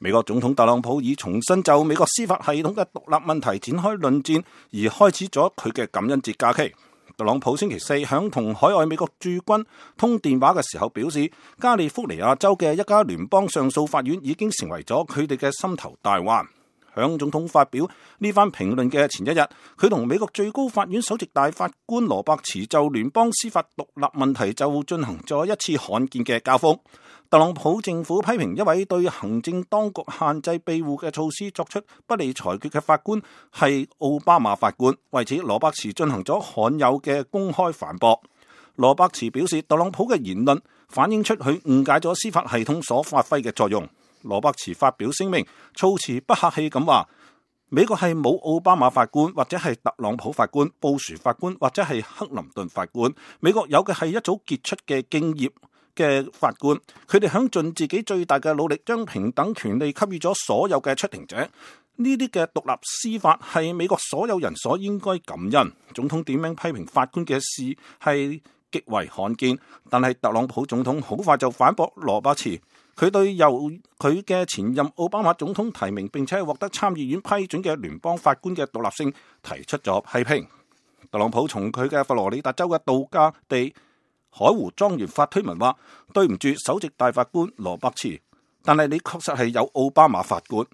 美國總統特朗普以重新就美國司法系統嘅獨立問題展開論戰，而開始咗佢嘅感恩節假期。特朗普星期四響同海外美國駐軍通電話嘅時候表示，加利福尼亞州嘅一家聯邦上訴法院已經成為咗佢哋嘅心頭大患。響總統發表呢番評論嘅前一日，佢同美國最高法院首席大法官羅伯茨就聯邦司法獨立問題就進行咗一次罕見嘅交鋒。特朗普政府批評一位對行政當局限制庇護嘅措施作出不利裁決嘅法官係奧巴馬法官，為此羅伯茨進行咗罕有嘅公開反駁。羅伯茨表示，特朗普嘅言論反映出佢誤解咗司法系統所發揮嘅作用。羅伯茨發表聲明，措辭不客氣咁話，美國係冇奧巴馬法官或者係特朗普法官、布殊法官或者係克林頓法官，美國有嘅係一組傑出嘅敬業嘅法官，佢哋響盡自己最大嘅努力，將平等權利給予咗所有嘅出庭者。呢啲嘅獨立司法係美國所有人所應該感恩。總統點名批評法官嘅事係極為罕見，但係特朗普總統好快就反駁羅伯茨，佢對由佢嘅前任奧巴馬總統提名並且獲得參議院批准嘅聯邦法官嘅獨立性提出咗批評。特朗普從佢嘅佛羅里達州嘅度假地海湖莊園發推文話：對唔住首席大法官羅伯茨，但係你確實係有奧巴馬法官。